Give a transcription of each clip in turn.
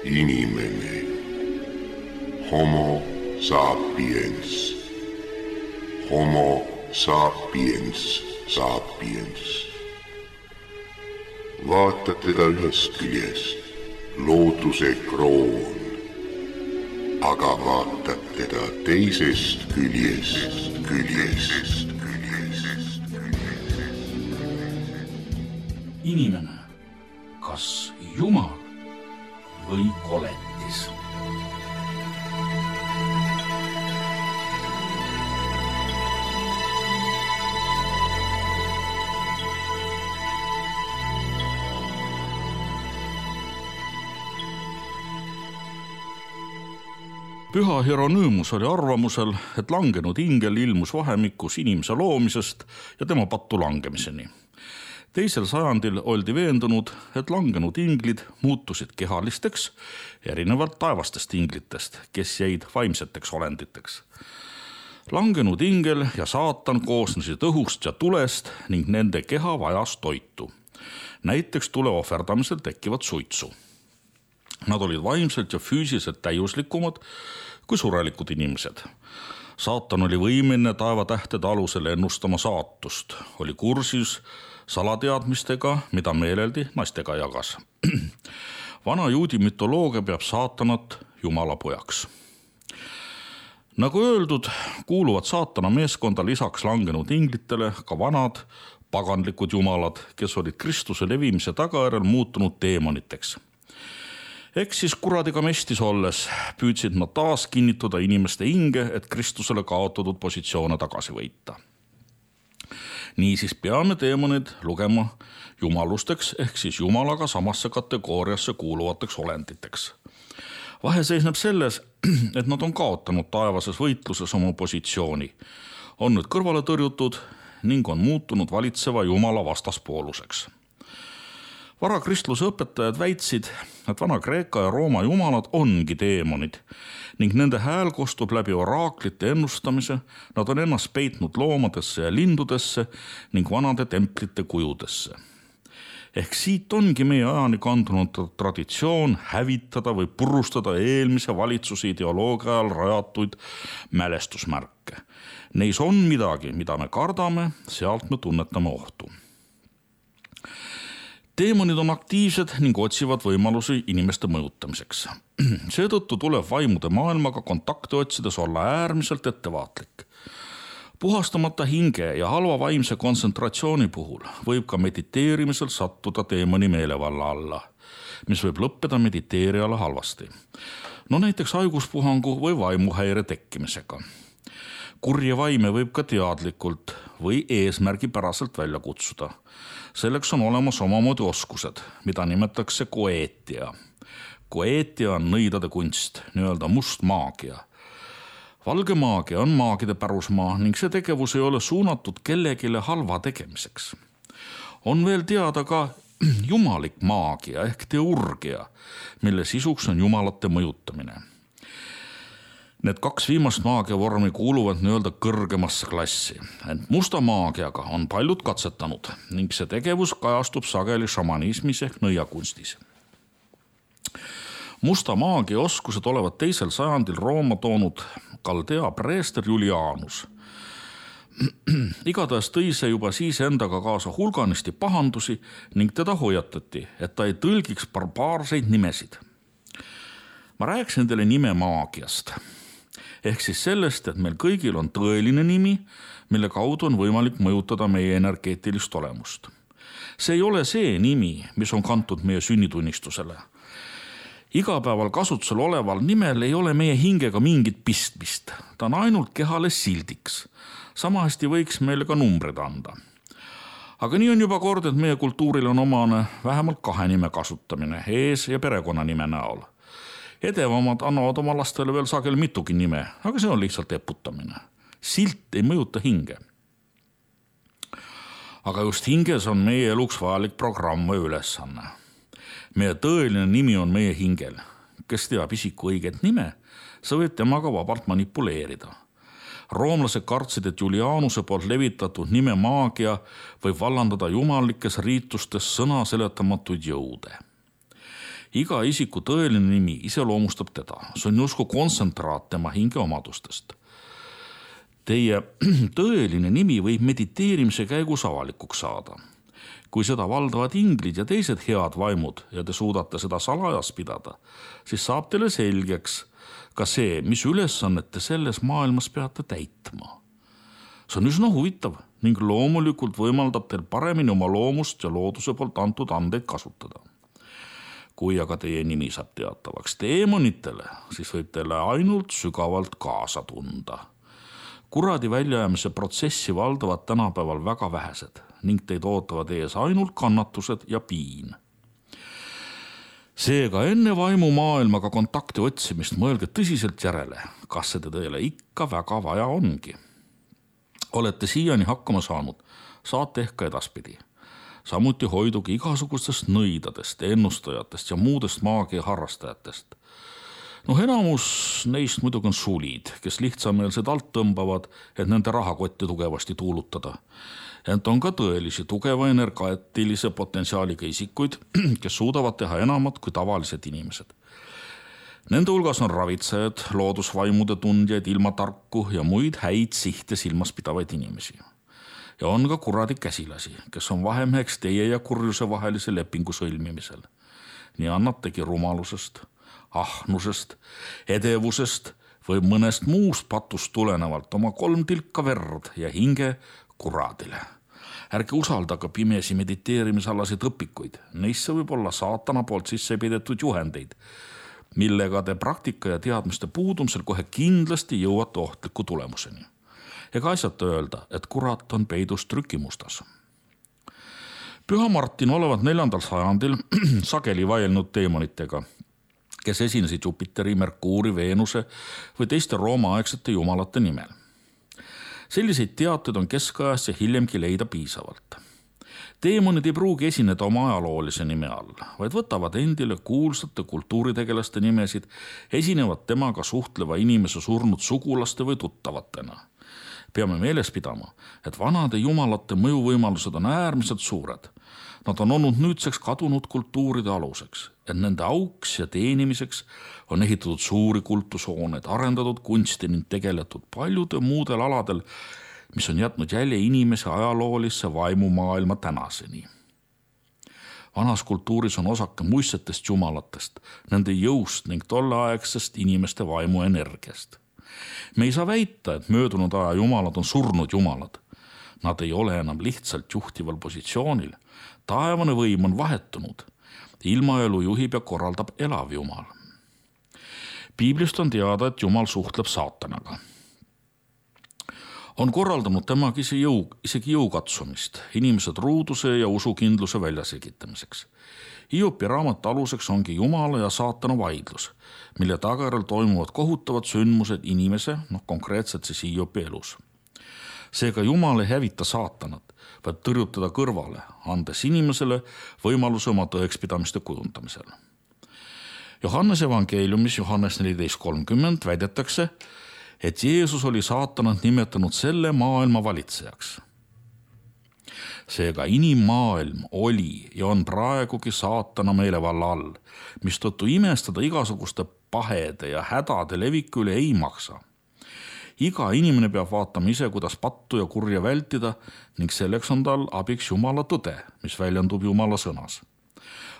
inimene, homo sapiens, homo sapiens sapiens. Vaatad teda ühest küljest, looduse kroon, aga vaatad teda teisest küljest. Inimene, kas Jumal või koletis? Püha Hieronüümus oli arvamusel, et langenud ingel ilmus vahemikus inimese loomisest ja tema pattu langemiseni. 2. sajandil oldi veendunud, et langenud inglid muutusid kehalisteks, erinevalt taevastest inglitest, kes jäid vaimseteks olenditeks. Langenud ingel ja saatan koosnesid õhust ja tulest ning nende keha vajas toitu. Näiteks tule ohverdamisel tekkivat suitsu. Nad olid vaimselt ja füüsiliselt täiuslikumad kui surelikud inimesed. Saatan oli võimeline taevatähtede alusel ennustama saatust, oli kursis salateadmistega, mida meeleldi naistega jagas. Vana juudi mütoloogia peab saatanat Jumala pojaks. Nagu öeldud, kuuluvad saatana meeskonda lisaks langenud inglitele ka vanad paganlikud jumalad, kes olid Kristuse levimise tagajärjel muutunud teemoniteks. Eks siis kuradiga mestis olles püüdsid nad taas kinnitada inimeste hinge, et Kristusele kaotatud positsioone tagasi võita. Niisiis peame teemonid lugema jumalusteks ehk siis Jumalaga samasse kategooriasse kuuluvateks olenditeks. Vahe seisneb selles, et nad on kaotanud taevases võitluses oma positsiooni, on nüüd kõrvale tõrjutud ning on muutunud valitseva Jumala vastaspooluseks. Varakristluse õpetajad väitsid, et Vana-Kreeka ja Rooma jumalad ongi teemonid ning nende hääl kostub läbi oraaklite ennustamise, nad on ennast peitnud loomadesse ja lindudesse ning vanade templite kujudesse. Ehk siit ongi meie ajani kandunud traditsioon hävitada või purustada eelmise valitsuse ideoloogia ajal rajatuid mälestusmärke. Neis on midagi, mida me kardame, sealt me tunnetame ohtu. Teemonid on aktiivsed ning otsivad võimalusi inimeste mõjutamiseks. Seetõttu tuleb vaimude maailmaga kontakte otsides olla äärmiselt ettevaatlik. Puhastamata hinge ja halva vaimse kontsentratsiooni puhul võib ka mediteerimisel sattuda teemoni meelevalla alla, mis võib lõppeda mediteerijale halvasti. No näiteks haiguspuhangu või vaimuhäire tekkimisega. Kurje vaime võib ka teadlikult või eesmärgipäraselt välja kutsuda. Selleks on olemas omamoodi oskused, mida nimetatakse koeetia. Koeetia on nõidade kunst, nii-öelda must maagia. Valge maagia on maagide pärusmaa ning see tegevus ei ole suunatud kellegile halva tegemiseks. On veel teada ka jumalik maagia ehk teurgia, mille sisuks on jumalate mõjutamine. Need 2 viimast maagiavormi kuuluvad nii-öelda kõrgemasse klassi, ent musta maagiaga on paljud katsetanud ning see tegevus kajastub sageli šamanismis ehk nõiakunstis. Musta maagia oskused olevat 2. sajandil Rooma toonud Kaldea preester Julianus. Igatahes tõi see juba siis endaga kaasa hulganisti pahandusi ning teda hoiatati, et ta ei tõlgiks barbaarseid nimesid. Ma rääkisin teile nime maagiast. Ehk siis sellest, et meil kõigil on tõeline nimi, mille kaudu on võimalik mõjutada meie energeetilist olemust. See ei ole see nimi, mis on kantud meie sünnitunnistusele. Igapäeval kasutusel oleval nimel ei ole meie hingega mingit pistmist. Ta on ainult kehale sildiks. Samahästi võiks meile ka numbrid anda. Aga nii on juba kord, et meie kultuuril on omane vähemalt 2 nime kasutamine, ees- ja perekonnanime näol. Edevamad annavad oma lastele veel sageli mitugi nime, aga see on lihtsalt eputamine. Silt ei mõjuta hinge. Aga just hinges on meie eluks vajalik programm või ülesanne. Meie tõeline nimi on meie hingel. Kes teab isiku õiget nime, sa võib temaga vabalt manipuleerida. Roomlased kartsid, et Julianuse poolt levitatud nime maagia võib vallandada jumalikes riitustes sõna seletamatuid jõude. Iga isiku tõeline nimi iseloomustab teda, see on justkui kontsentraat tema hinge omadustest. Teie tõeline nimi võib mediteerimise käigus avalikuks saada. Kui seda valdavad inglid ja teised head vaimud ja te suudate seda salajas pidada, siis saab teile selgeks ka see, mis ülesannet te selles maailmas peate täitma. See on üsna huvitav ning loomulikult võimaldab teil paremini oma loomust ja looduse poolt antud andeid kasutada. Kui aga teie nimi saab teatavaks teemonitele, siis võib teile ainult sügavalt kaasa tunda. Kuradi väljajäämise protsessi valdavad tänapäeval väga vähesed ning teid ootavad ees ainult kannatused ja piin. Seega enne vaimumaailmaga kontakti otsimist mõelge tõsiselt järele, kas see teile ikka väga vaja ongi. Olete siiani hakkama saanud, saate ehk ka edaspidi. Samuti hoidugi igasugustest nõidadest, ennustajatest ja muudest maagia harrastajatest. Enamus neist muidugi on sulid, kes lihtsameelsed alt tõmbavad, et nende rahakotti tugevasti tuulutada. Ent on ka tõelisi tugeva energeetilise potentsiaaliga isikuid, kes suudavad teha enamat kui tavalised inimesed. Nende hulgas on ravitsejad, loodusvaimude tundjaid, ilmatarku ja muid häid sihte silmas pidavaid inimesi. Ja on ka kuradi käsilasi, kes on vahemeheks teie ja kurjuse vahelise lepingu sõlmimisel. Nii annategi rumalusest, ahnusest, edevusest või mõnest muust patust tulenevalt oma 3 tilka verd ja hinge kuradile. Ärge usaldaga pimesi mediteerimisalasid õpikuid, neisse võib olla saatana poolt sisse pidetud juhendeid, millega te praktika ja teadmiste puudumisel kohe kindlasti jõuate ohtliku tulemuseni. Ega asjata öelda, et kurat on peidus trükimustas. Püha Martin olevat 4. sajandil sageli vaielnud teemonitega, kes esinesid Jupiteri, Merkuuri, Veenuse või teiste roomaaegsete jumalate nimel. Selliseid teateid on keskajas ja hiljemgi leida piisavalt. Teemonid ei pruugi esineda oma ajaloolise nime all, vaid võtavad endile kuulsate kultuuritegelaste nimesid, esinevad temaga suhtleva inimese surnud sugulaste või tuttavatena. Peame meeles pidama, et vanade jumalate mõjuvõimalused on äärmiselt suured. Nad on olnud nüüdseks kadunud kultuuride aluseks, et nende auks ja teenimiseks on ehitatud suuri kultushooned, arendatud kunsti ning tegeletud paljude muudel aladel, mis on jätnud jälje inimese ajaloolisse vaimumaailma tänaseni. Vanas kultuuris on osake muistsetest jumalatest, nende jõust ning tolleaegsest inimeste vaimu energiast. Me ei saa väita, et möödunud aja jumalad on surnud jumalad. Nad ei ole enam lihtsalt juhtival positsioonil. Taevane võim on vahetunud. Ilmaelu juhib ja korraldab elav jumal. Piiblist on teada, et jumal suhtleb saatanaga. On korraldanud temagi isegi jõukatsumist, inimesed ruuduse ja usukindluse väljaselgitamiseks. Hiopi raamat aluseks ongi jumala ja saatana vaidlus, mille tagajärjel toimuvad kohutavad sündmused inimese, konkreetselt siis Hiopi elus. Seega jumal ei hävita saatanat, vaid tõrjutada kõrvale, andes inimesele võimaluse oma tõekspidamiste kujundamisel. Johannese evangeeliumis Johannes 14.30 väidetakse, et Jeesus oli saatanat nimetanud selle maailma valitsejaks. Seega inimmaailm oli ja on praegugi saatana meelevalla all, mistõttu imestada igasuguste pahede ja hädade leviku üle ei maksa. Iga inimene peab vaatama ise, kuidas pattu ja kurja vältida ning selleks on tal abiks Jumala tõde, mis väljendub Jumala sõnas.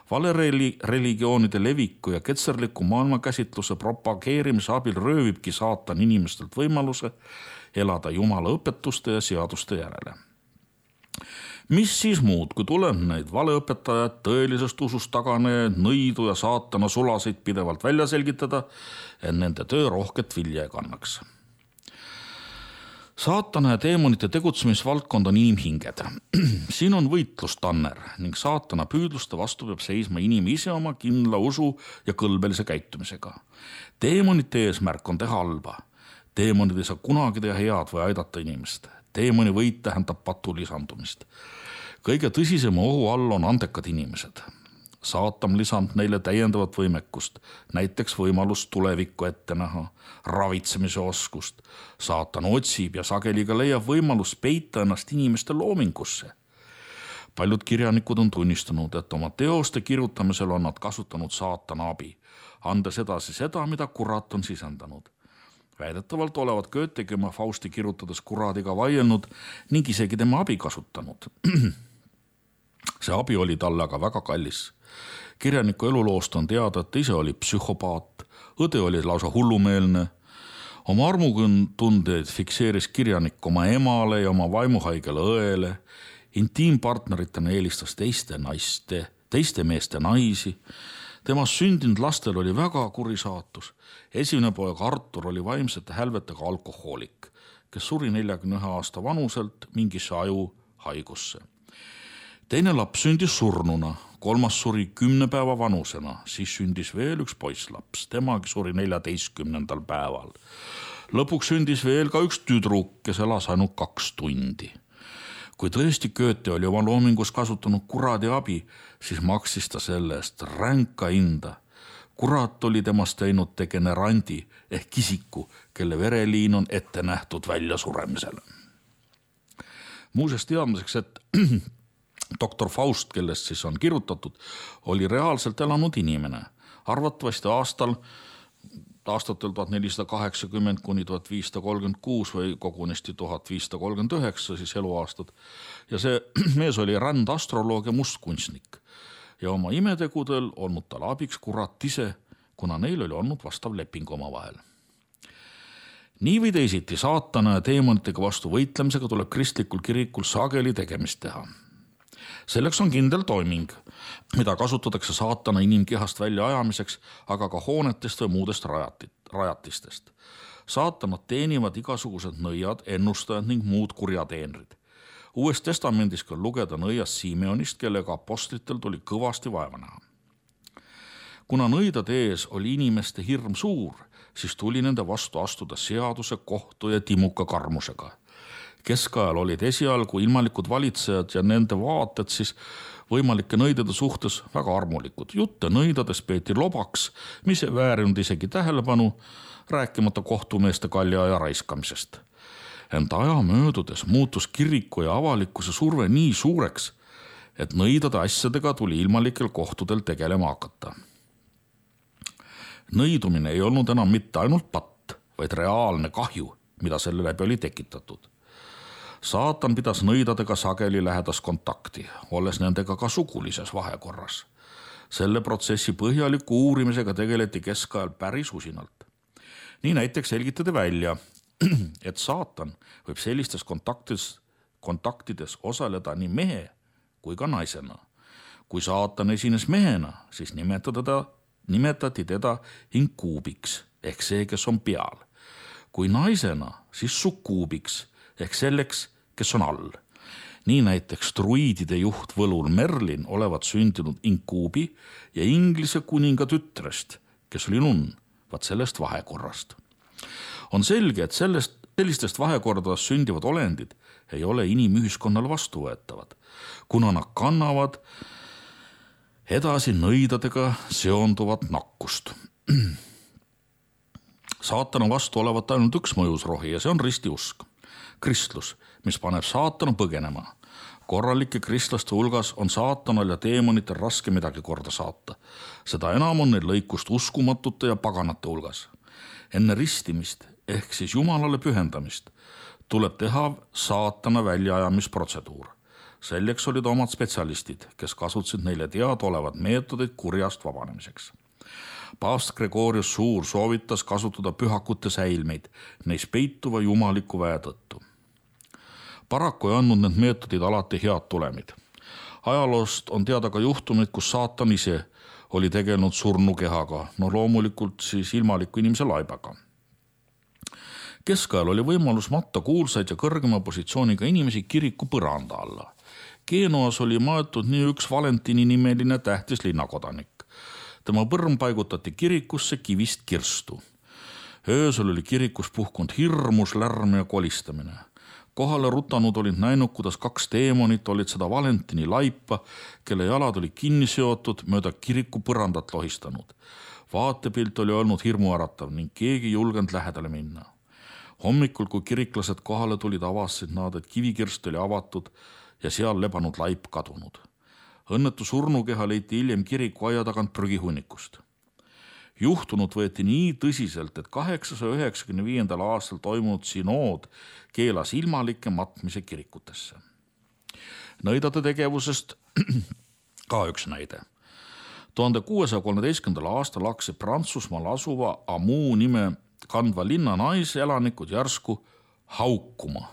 Valereligioonide leviku ja ketserliku maailmakäsitluse propageerimise abil röövibki saatan inimestelt võimaluse elada Jumala õpetuste ja seaduste järele. Mis siis muud, kui tuleb neid valeõpetajad, tõelisest usust taganejaid, nõidu ja saatana sulasid pidevalt välja selgitada, et nende töö rohket vilja ei kannaks. Saatana ja teemonite tegutsemisvaldkond on inimhinged. Siin on võitlustanner ning saatana püüdluste vastu peab seisma inimene ise oma kindla usu ja kõlbelise käitumisega. Teemonite eesmärk on teha halba. Teemonid ei saa kunagi teha head või aidata inimest. Teemoni võit tähendab patu lisandumist. Kõige tõsisema ohu all on andekad inimesed. Saatan lisab neile täiendavat võimekust, näiteks võimalust tulevikku ette näha, ravitsemise oskust. Saatan otsib ja sageli ka leiab võimalust peita ennast inimeste loomingusse. Paljud kirjanikud on tunnistanud, et oma teoste kirjutamisel on nad kasutanud saatana abi, andes edasi seda, mida kurat on sisendanud. Väidetavalt olevat Goethegi oma Fausti kirjutades kuradiga vaielnud ning isegi tema abi kasutanud. See abi oli talle aga väga kallis. Kirjaniku eluloost on teada, et ise oli psühhopaat, õde oli lausa hullumeelne. Oma armutundeid fikseeris kirjanik oma emale ja oma vaimuhaigele õele. Intiimpartneritena eelistas teiste meeste naisi. Temast sündinud lastel oli väga kuri saatus. Esimene poeg Artur oli vaimsete hälvetega alkohoolik, kes suri 41 aasta vanuselt mingisse ajuhaigusse. Teine laps sündis surnuna, kolmas suri 10 päeva vanusena, siis sündis veel üks poisslaps, temagi suri 14. päeval. Lõpuks sündis veel ka üks tüdruk, kes elas ainult 2 tundi. Kui tõesti Goethe oli oma loomingus kasutanud kuradi abi, siis maksis ta selle eest ränka hinda. Kurat oli temast teinud degenerandi ehk isiku, kelle vereliin on ette nähtud välja suremisele. Muuseas teadmiseks, et doktor Faust, kellest siis on kirjutatud, oli reaalselt elanud inimene. Arvatavasti aastatel 1480 kuni 1536 või kogunisti 1539 siis eluaastad. Ja see mees oli rändastroloog ja mustkunstnik. Ja oma imetegudel olnud tal abiks kurat ise, kuna neil oli olnud vastav leping oma vahel. Nii või teisiti saatana ja teemonitega vastu võitlemisega tuleb kristlikul kirikul sageli tegemist teha. Selleks on kindel toiming, mida kasutatakse saatana inimkehast välja ajamiseks, aga ka hoonetest või muudest rajatistest. Saatanad teenivad igasugused nõiad, ennustajad ning muud kurjateenrid. Uues testamendis kann lugeda nõiast Simeonist, kellega apostritel tuli kõvasti vaeva näha. Kuna nõidade ees oli inimeste hirm suur, siis tuli nende vastu astuda seaduse, kohtu ja timuka karmusega. Keskajal olid esialgu ilmalikud valitsejad ja nende vaated siis võimalike nõidade suhtes väga armulikud. Jutte nõidades peeti lobaks, mis ei väärinud isegi tähelepanu, rääkimata kohtumeeste kalja ja raiskamisest. Ent aja möödudes muutus kiriku ja avalikkuse surve nii suureks, et nõidade asjadega tuli ilmalikel kohtudel tegelema hakata. Nõidumine ei olnud enam mitte ainult patt, vaid reaalne kahju, mida selle läbi oli tekitatud. Saatan pidas nõidadega sageli lähedas kontakti, olles nendega ka sugulises vahekorras. Selle protsessi põhjaliku uurimisega tegeleti keskajal päris usinalt. Nii näiteks selgitada välja, et saatan võib sellistes kontaktides osaleda nii mehe kui ka naisena. Kui saatan esines mehena, siis nimetati teda inkuubiks ehk see, kes on peal. Kui naisena, siis sukuubiks ehk selleks, kes on all. Nii näiteks druiidide juht võlul Merlin olevat sündinud inkuubi ja Inglise kuninga tütrest, kes oli nunn, vaat sellest vahekorrast. On selge, et sellistest vahekordadest sündivad olendid ei ole inimühiskonnale vastuvõetavad, kuna nad kannavad edasi nõidadega seonduvat nakkust. Saatana vastu olevat ainult üks mõjusrohi ja see on ristiusk. Kristlus, mis paneb saatana põgenema. Korralike kristlaste hulgas on saatanal ja teemonitel raske midagi korda saata. Seda enam on neil lõikust uskumatute ja paganate hulgas. Enne ristimist ehk siis Jumalale pühendamist tuleb teha saatana väljaajamisprotseduur. Selleks olid omad spetsialistid, kes kasutasid neile teadaolevad meetodeid kurjast vabanemiseks. Paavst Gregorius Suur soovitas kasutada pühakute säilmeid, neis peituva jumaliku väe tõttu. Paraku ei andnud need meetodid alati head tulemid. Ajaloost on teada ka juhtumid, kus saatan ise oli tegelenud surnukehaga, loomulikult siis ilmaliku inimese laibaga. Keskajal oli võimalus matta kuulsaid ja kõrgema positsiooniga inimesi kiriku põranda alla. Genoas oli maetud nii üks Valentini nimeline tähtis linnakodanik. Tema põrm paigutati kirikusse kivist kirstu. Öösel oli kirikus puhkunud hirmus lärm ja kolistamine. Kohale rutanud olid näinud, kuidas 2 teemonit olid seda Valentini laipa, kelle jalad oli kinni seotud, mööda kiriku põrandat lohistanud. Vaatepilt oli olnud hirmuäratav ning keegi julgenud lähedale minna. Hommikul, kui kiriklased kohale tulid, avastasid nad, et kivikirst oli avatud ja seal lebanud laip kadunud. Õnnetu surnukeha leiti hiljem kiriku aia tagant prügihunnikust. Juhtunut võeti nii tõsiselt, et 895. aastal toimunud sinood keelas ilmalike matmise kirikutesse. Nõidade tegevusest ka üks näide. 1613. aastal hakkasid Prantsusmaal asuva Amuu nime kandva linna naiselanikud järsku haukuma.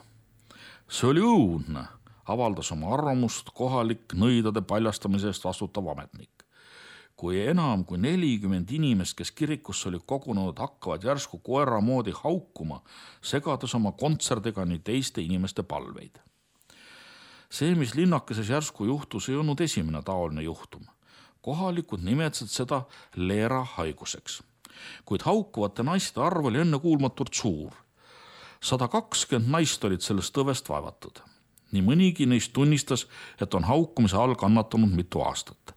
See oli õudne, avaldas oma arvamust kohalik nõidade paljastamise eest vastutav ametnik. Kui enam kui 40 inimest, kes kirikusse oli kogunenud, hakkavad järsku koera moodi haukuma, segades oma kontserdiga nii teiste inimeste palveid. See, mis linnakeses järsku juhtus, ei olnud esimene taoline juhtum. Kohalikud nimetasid seda leera haiguseks. Kuid haukuvate naiste arv oli ennekuulmatult suur. 120 naist olid sellest tõvest vaevatud. Nii mõnigi neist tunnistas, et on haukumise all kannatanud mitu aastat.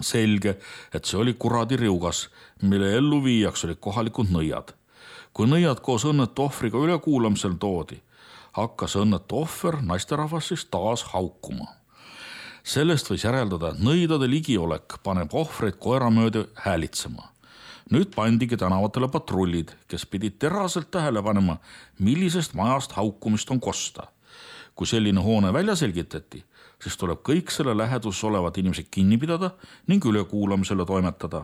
Selge, et see oli kuradi riugas, mille elluviijaks olid kohalikud nõiad. Kui nõiad koos õnnetu ohvriga ülekuulamisel toodi, hakkas õnnetu ohver naisterahvas siis taas haukuma. Sellest võis järeldada, et nõidade ligiolek paneb ohvreid koera mööda häälitsema. Nüüd pandigi tänavatele patrullid, kes pidid teraselt tähele panema, millisest majast haukumist on kosta. Kui selline hoone välja selgitati, siis tuleb kõik selle läheduses olevad inimesed kinni pidada ning ülekuulamisele toimetada.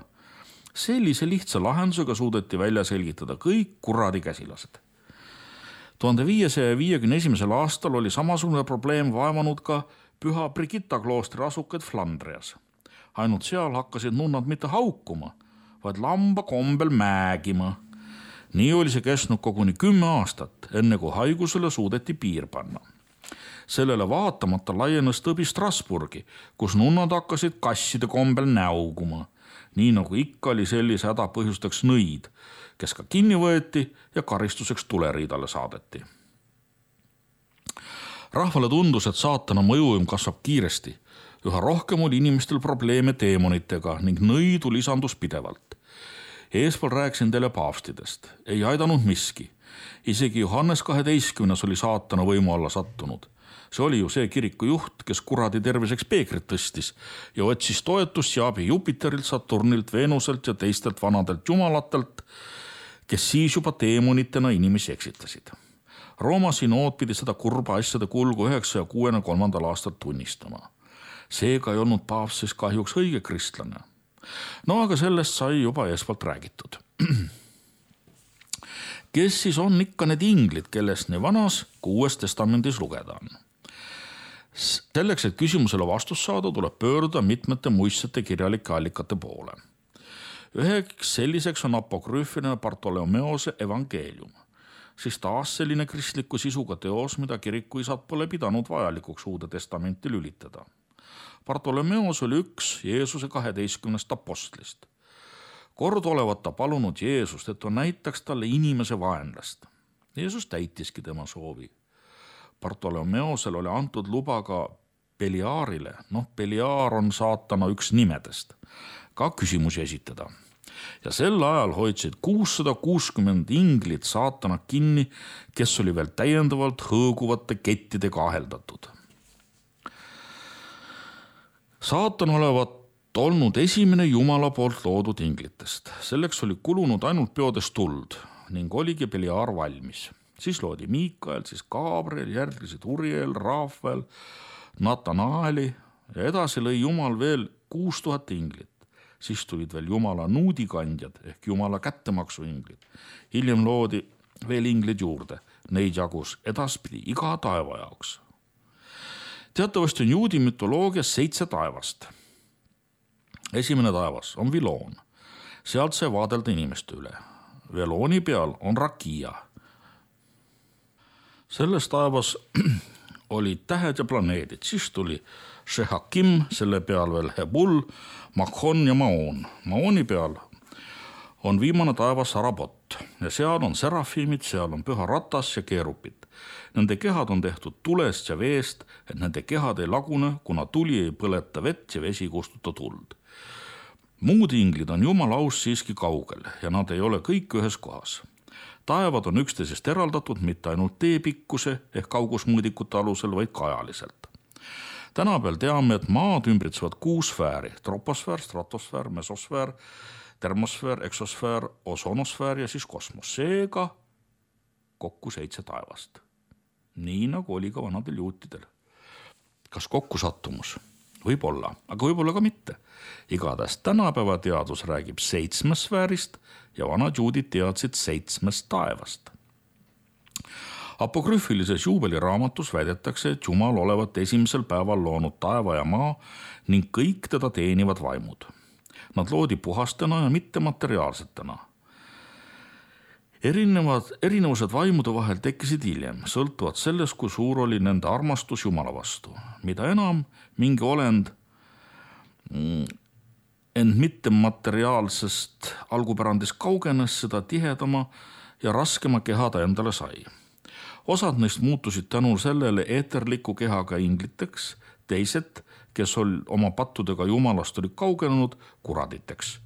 Sellise lihtsa lahendusega suudeti välja selgitada kõik kuradi käsilased. 1551. aastal oli samasugune probleem vaevanud ka Püha Brigitta kloostri asukaid Flandrias. Ainult seal hakkasid nunnad mitte haukuma, vaid lamba kombel määgima. Nii oli see kestnud koguni 10 aastat, enne kui haigusele suudeti piir panna. Sellele vaatamata laienes tõbi Strasburgi, kus nunnad hakkasid kasside kombel näuguma. Nii nagu ikka oli sellise häda põhjustaks nõid, kes ka kinni võeti ja karistuseks tuleriidale saadeti. Rahvale tundus, et saatana mõjuvõim kasvab kiiresti. Üha rohkem oli inimestel probleeme teemonitega ning nõidu lisandus pidevalt. Eespool rääkisin teile paavstidest. Ei aidanud miski. Isegi Johannes 12. oli saatana võimu alla sattunud. See oli ju see kiriku juht, kes kuradi terviseks peegrit tõstis ja otsis toetust ja abi Jupiterilt, Saturnilt, Veenuselt ja teistelt vanadelt jumalatelt, kes siis juba teemonitena inimesi eksitasid. Rooma sinood pidi seda kurba asjade kulgu 963. aastal tunnistama. Seega ei olnud paavst siis kahjuks õige kristlane. No aga sellest sai juba eespoolt räägitud. Kes siis on ikka need inglid, kellest nii vanas kui Uues testamendis lugeda on? Selleks, et küsimusele vastus saada, tuleb pöörduda mitmete muistsete kirjalike allikate poole. Üheks selliseks on apokrüüfiline Bartolomeose evangeelium, siis taas selline kristliku sisuga teos, mida kirikuisad pole pidanud vajalikuks Uude testamenti lülitada. Bartolomeos oli üks Jeesuse 12 apostlist. Kord olevat ta palunud Jeesust, et ta näitaks talle inimese vaenlast. Jeesus täitiski tema soovi. Bartolomeosel oli antud luba ka Beliaarile, Beliaar on saatana üks nimedest, ka küsimusi esitada. Ja sel ajal hoidsid 660 inglit saatana kinni, kes oli veel täiendavalt hõõguvate kettidega aheldatud. Saatan olevat olnud esimene Jumala poolt loodud inglitest. Selleks oli kulunud ainult peodes tuld ning oligi Beliaar valmis. Siis loodi Miikael, siis Gabriel, järglisid Uriel, Rafael, Natanaeli ja edasi lõi Jumal veel 6000 inglit. Siis tulid veel Jumala nuudikandjad ehk Jumala kättemaksu inglid. Hiljem loodi veel inglid juurde. Neid jagus edaspidi iga taeva jaoks. Teatavasti on juudi mütoloogias 7 taevast. Esimene taevas on Viloon. Sealt sai vaadelda inimeste üle. Velooni peal on Rakia. Selles taevas olid tähed ja planeedid. Siis tuli Shehakim, selle peal veel Hebul, Makhon ja Maon. Maoni peal on viimane taevas Arabot ja seal on serafimid, seal on püha ratas ja keerupid. Nende kehad on tehtud tulest ja veest, et nende kehad ei lagune, kuna tuli ei põleta vett ja vesi kustuta tuld. Muud inglid on Jumala aus siiski kaugel ja nad ei ole kõik ühes kohas. Taevad on üksteisest eraldatud mitte ainult teepikkuse ehk kaugusmõõdikute alusel, vaid ka ajaliselt. Tänapäeval teame, et maad ümbritsevad 6 sfääri: troposfäär, stratosfäär, mesosfäär, termosfäär, eksosfäär, osonosfäär ja siis kosmos. Seega kokku 7 taevast. Nii nagu oli ka vanadel juutidel. Kas kokku sattumus? Võib-olla, aga võib-olla ka mitte. Igatahes tänapäeva teadus räägib 7 sfäärist ja vanad juudid teadsid 7 taevast. Apokrüfilises juubeliraamatus väidetakse, et Jumal olevat esimesel päeval loonud taeva ja maa ning kõik teda teenivad vaimud. Nad loodi puhastena ja mittemateriaalsetena. Erinevused vaimude vahel tekkisid hiljem, sõltuvad sellest, kui suur oli nende armastus Jumala vastu. Mida enam mingi olend ent mittemateriaalsest algupärandist kaugenes, seda tihedama ja raskema keha ta endale sai. Osad neist muutusid tänu sellele eeterliku kehaga ingliteks, teised, kes oma pattudega Jumalast olid kaugenenud, kuraditeks.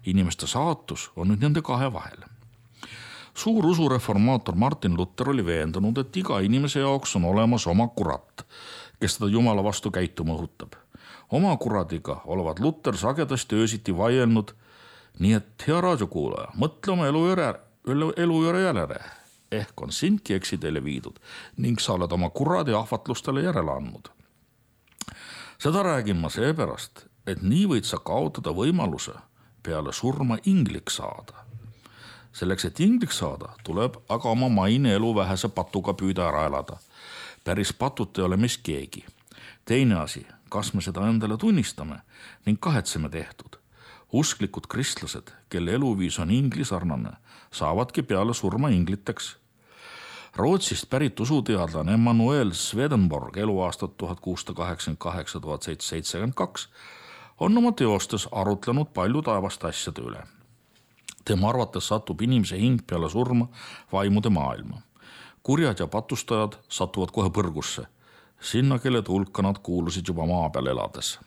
Inimeste saatus on nüüd nende 2 vahel. Suur usureformaator Martin Luther oli veendunud, et iga inimese jaoks on olemas oma kurat, kes teda Jumala vastu käituma õhutab. Oma kuradiga olevat Luther sagedasti öösiti vaielnud, nii et hea raadiokuulaja, mõtle oma elu järele. Ehk on sindki eksiteele viidud ning sa oled oma kuradi ahvatlustele järele andnud. Seda räägin ma seepärast, et nii võid sa kaotada võimaluse peale surma ingliks saada. Selleks, et ingliks saada, tuleb aga oma maine elu vähese patuga püüda ära elada. Päris patut ei ole meist keegi. Teine asi, kas me seda endale tunnistame ning kahetseme tehtud. Usklikud kristlased, kelle eluviis on ingli sarnane, saavadki peale surma ingliteks. Rootsist pärit usuteadlane Emanuel Swedenborg eluaastat 1688-1772 on oma teostes arutlenud palju taevast asjade üle. Tema arvates satub inimese hing peale surma vaimude maailma. Kurjad ja patustajad satuvad kohe põrgusse, sinna kelle hulka nad kuulusid juba maa peal elades.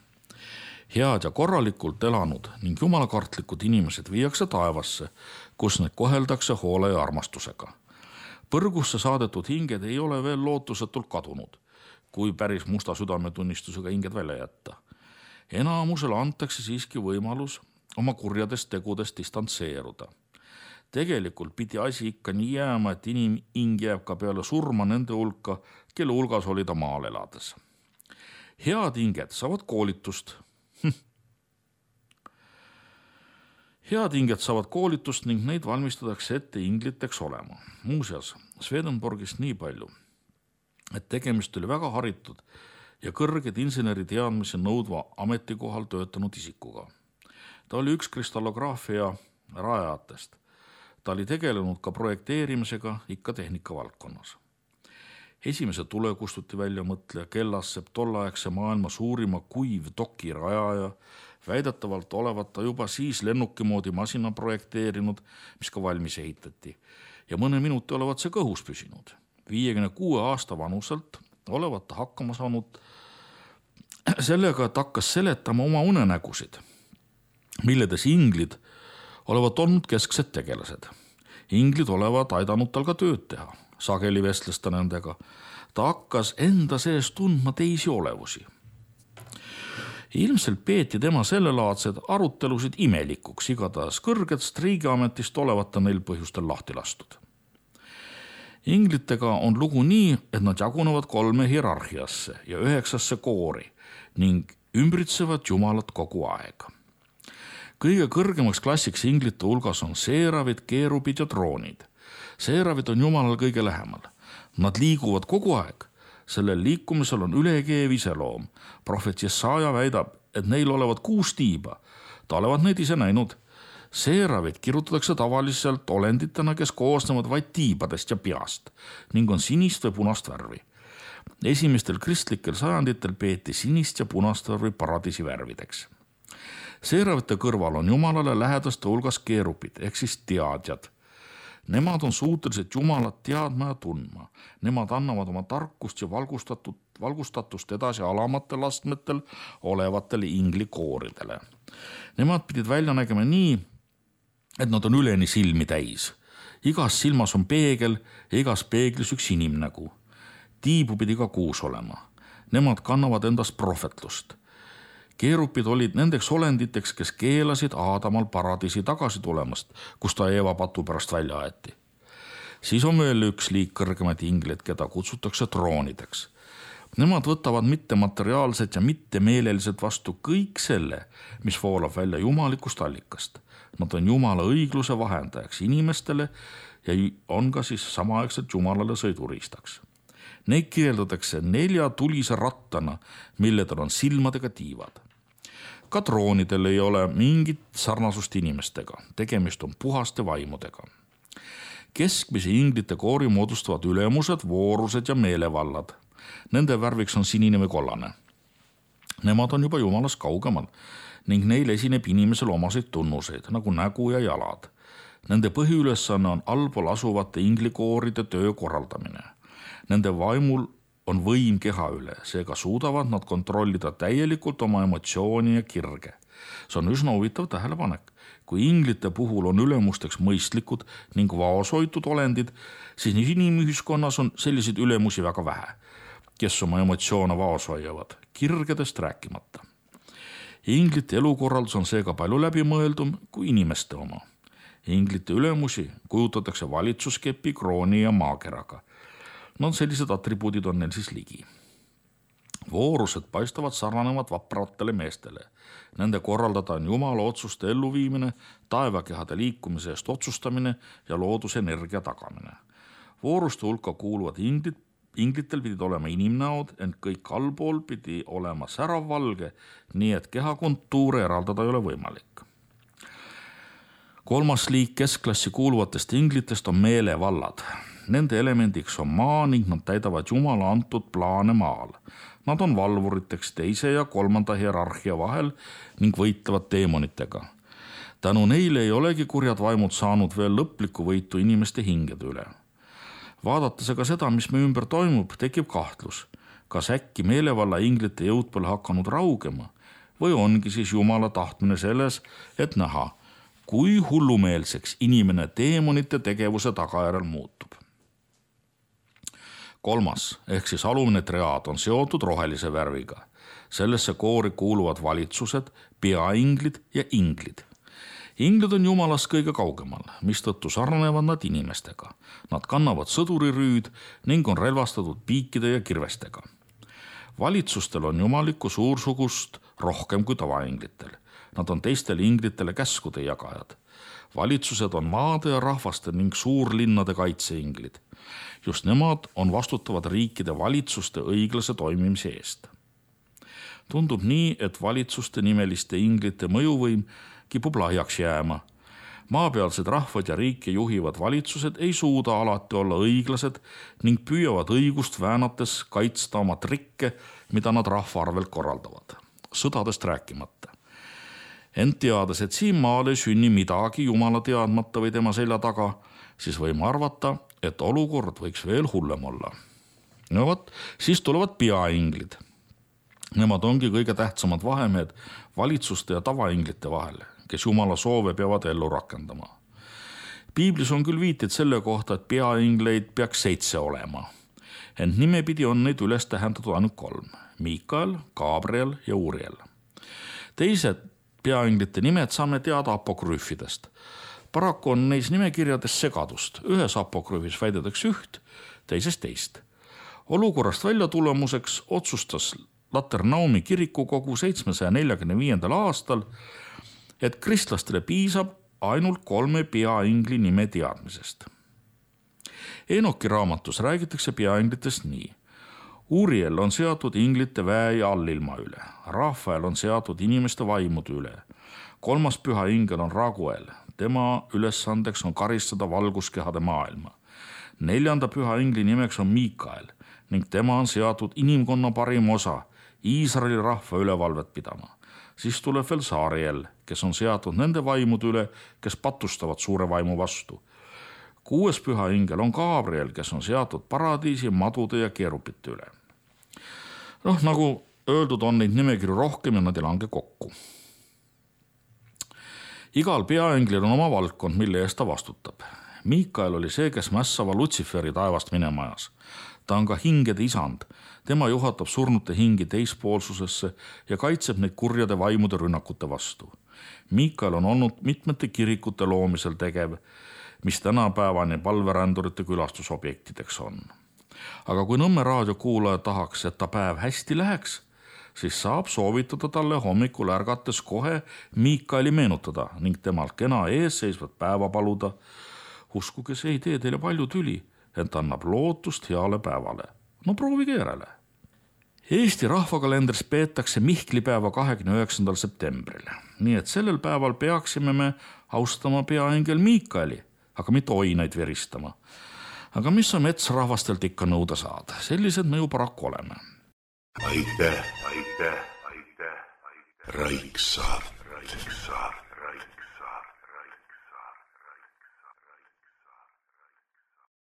Head ja korralikult elanud ning jumalakartlikud inimesed viiakse taevasse, kus neid koheldakse hoole ja armastusega. Põrgusse saadetud hinged ei ole veel lootusetult kadunud, kui päris musta südametunnistusega hinged välja jätta. Enamusele antakse siiski võimalus oma kurjadest tegudest distantseeruda. Tegelikult pidi asi ikka nii jääma, et inimhing jääb ka peale surma nende hulka, kelle hulgas oli ta maal elades. Head hinged saavad koolitust. Head hinged saavad koolitust ning neid valmistatakse ette ingliteks olema. Muuseas, Swedenborgist nii palju, et tegemist oli väga haritud ja kõrged inseneriteadmisi nõudva ametikohal töötanud isikuga. Ta oli üks kristallograafia rajajatest. Ta oli tegelenud ka projekteerimisega ikka tehnika valdkonnas. Esimese tulekustuti väljamõtleja, Kellassepp, tollaegse maailma suurima kuivdoki rajaja, väidetavalt olevat ta juba siis lennuki moodi masina projekteerinud, mis ka valmis ehitati. Ja mõne minuti olevat see kõhus püsinud. 56 aasta vanuselt olevat ta hakkama saanud sellega, et hakkas seletama oma unenägusid, milledes inglid olevat olnud kesksed tegelased. Inglid olevat aidanud tal ka tööd teha, sageli vestles ta nendega. Ta hakkas enda sees tundma teisi olevusi. Ilmselt peeti tema sellelaadsed arutelusid imelikuks, igatahes kõrgedest riigiametist olevat ta neil põhjustel lahti lastud. Inglitega on lugu nii, et nad jagunevad 3 hierarhiasse ja 9 koori ning ümbritsevad Jumalat kogu aeg. Kõige kõrgemaks klassiks inglite hulgas on seeravid, keerubid ja troonid. Seeravid on Jumalal kõige lähemal. Nad liiguvad kogu aeg. Sellel liikumisel on ülekeev iseloom. Prohvet Jesaja väidab, et neil olevat 6 tiiba. Ta olevat neid ise näinud. Seeravid kirjutatakse tavaliselt olenditena, kes koosnevad vaid tiibadest ja peast ning on sinist või punast värvi. Esimestel kristlikel sajanditel peeti sinist ja punast värvi paradiisi värvideks. Seeravite kõrval on Jumalale lähedaste hulgas keerupid ehk siis teadjad. Nemad on suutelised Jumalat teadma ja tundma. Nemad annavad oma tarkust ja valgustatust edasi alamatel astmetel olevatele inglikooridele. Nemad pidid välja nägema nii, et nad on üleni silmi täis. Igas silmas on peegel ja igas peeglis üks inimnägu. Tiibu pidi ka 6 olema. Nemad kannavad endas prohvetlust. Keerupid olid nendeks olenditeks, kes keelasid Aadamal paradiisi tagasi tulemast, kus ta Eeva patu pärast välja aeti. Siis on veel üks liik kõrgemaid ingleid, keda kutsutakse troonideks. Nemad võtavad mittemateriaalselt ja mittemeeleliselt vastu kõik selle, mis voolab välja jumalikust allikast. Nad on Jumala õigluse vahendajaks inimestele ja on ka siis samaaegselt Jumalale sõiduriistaks. Neid kirjeldatakse 4 tulise rattana, milledel on silmadega tiivad. Ka troonidel ei ole mingit sarnasust inimestega, tegemist on puhaste vaimudega. Keskmise inglite koori moodustavad ülemused, voorused ja meelevallad. Nende värviks on sinine või kollane. Nemad on juba Jumalast kaugemal ning neil esineb inimesel omaseid tunnuseid, nagu nägu ja jalad. Nende põhiülesanne on allpool asuvate inglikooride töö korraldamine. Nende vaimul on võim keha üle, seega suudavad nad kontrollida täielikult oma emotsiooni ja kirge. See on üsna huvitav tähelepanek. Kui inglite puhul on ülemusteks mõistlikud ning vaoshoitud olendid, siis inimühiskonnas on selliseid ülemusi väga vähe, kes oma emotsioone vaos hoiavad, kirgedest rääkimata. Inglite elukorraldus on seega palju läbimõeldum kui inimeste oma. Inglite ülemusi kujutatakse valitsuskepi, krooni ja maakeraga. Sellised atribuudid on neil siis ligi. Voorused paistavad sarnanevad vapratele meestele. Nende korraldada on Jumala otsuste elluviimine, taevakehade liikumise eest otsustamine ja loodusenergia tagamine. Vooruste hulka kuuluvad inglitel pidid olema inimnäod, ent kõik allpool pidi olema säravvalge, nii et keha kontuure eraldada ei ole võimalik. 3. liik keskklassi kuuluvatest inglitest on meelevallad. Nende elemendiks on maa ning nad täidavad Jumala antud plaane maal. Nad on valvuriteks 2. ja 3. hierarhia vahel ning võitlevad teemonitega. Tänu neile ei olegi kurjad vaimud saanud veel lõplikku võitu inimeste hingede üle. Vaadates aga seda, mis me ümber toimub, tekib kahtlus. Kas äkki meelevalla inglite jõud pole hakanud raugema või ongi siis Jumala tahtmine selles, et näha, kui hullumeelseks inimene teemonite tegevuse tagajärjel muutub. 3. ehk siis alumine triaad on seotud rohelise värviga. Sellesse koori kuuluvad valitsused, peainglid ja inglid. Inglid on Jumalast kõige kaugemal, mistõttu sarnanevad nad inimestega. Nad kannavad sõdurirüüd ning on relvastatud piikide ja kirvestega. Valitsustel on jumalikku suursugust rohkem kui tavainglitel. Nad on teistele inglitele käskude jagajad. Valitsused on maade ja rahvaste ning suurlinnade kaitseinglid. Just nemad on vastutavad riikide valitsuste õiglase toimimise eest. Tundub nii, et valitsuste nimeliste inglite mõjuvõim kipub lahjaks jääma. Maapealsed rahvad ja riike juhivad valitsused ei suuda alati olla õiglased ning püüavad õigust väänates kaitsta oma trikke, mida nad rahva arvelt korraldavad. Sõdadest rääkimata. Ent teades, et siin maal ei sünni midagi Jumala teadmata või tema selja taga, siis võime arvata, et olukord võiks veel hullem olla. Siis tulevad peainglid. Nemad ongi kõige tähtsamad vahemehed valitsuste ja tavainglite vahel, kes Jumala soove peavad ellu rakendama. Piiblis on küll viited selle kohta, et peaingleid peaks 7 olema. Ent nimepidi on neid üles tähendatud ainult 3. Mikael, Gabriel ja Uriel. Teised peainglite nimed saame teada apokrüüfidest. Paraku on neis nimekirjades segadust. Ühes apokrüüfis väidetakse üht, teises teist. Olukorrast välja tulemuseks otsustas Laternaumi kirikukogu 745. aastal, et kristlastele piisab ainult 3 peaingli nime teadmisest. Enoki raamatus räägitakse peainglitest nii. Uriel on seatud inglite väe ja allilma üle. Rafael on seatud inimeste vaimude üle. 3. püha ingel on Raguel. Tema ülesandeks on karistada valguskehade maailma. 4. püha ingli nimeks on Mikael ning tema on seatud inimkonna parim osa, Iisraeli rahva ülevalvet pidama. Siis tuleb veel Saariel, kes on seatud nende vaimude üle, kes patustavad suure vaimu vastu. 6. püha ingel on Gabriel, kes on seatud paradiisi, madude ja keerupite üle. Nagu öeldud, on neid nimekirju rohkem ja nad ei lange kokku. Igal peainglil on oma valdkond, mille eest ta vastutab. Mikael oli see, kes mässava Lutsiferi taevast minema ajas. Ta on ka hingede isand. Tema juhatab surnute hingi teispoolsusesse ja kaitseb neid kurjade vaimude rünnakute vastu. Miikael on olnud mitmete kirikute loomisel tegev, mis tänapäevani palverändurite külastusobjektideks on. Aga kui Nõmme raadiokuulaja tahaks, et ta päev hästi läheks, siis saab soovitada talle hommikul ärgates kohe Miikaeli meenutada ning temalt kena eesseisvat päeva paluda. Uskuge, see ei tee teile palju tüli, ent annab lootust heale päevale. No proovige järele. Eesti rahvakalendris peetakse Mihklipäeva 29. septembril. Nii et sellel päeval peaksime me austama peaengel Miikaeli, aga mitte oinaid veristama. Aga mis on metsrahvastelt ikka nõuda saada? Sellised me ju paraku oleme. Aitäh. Raiksaart.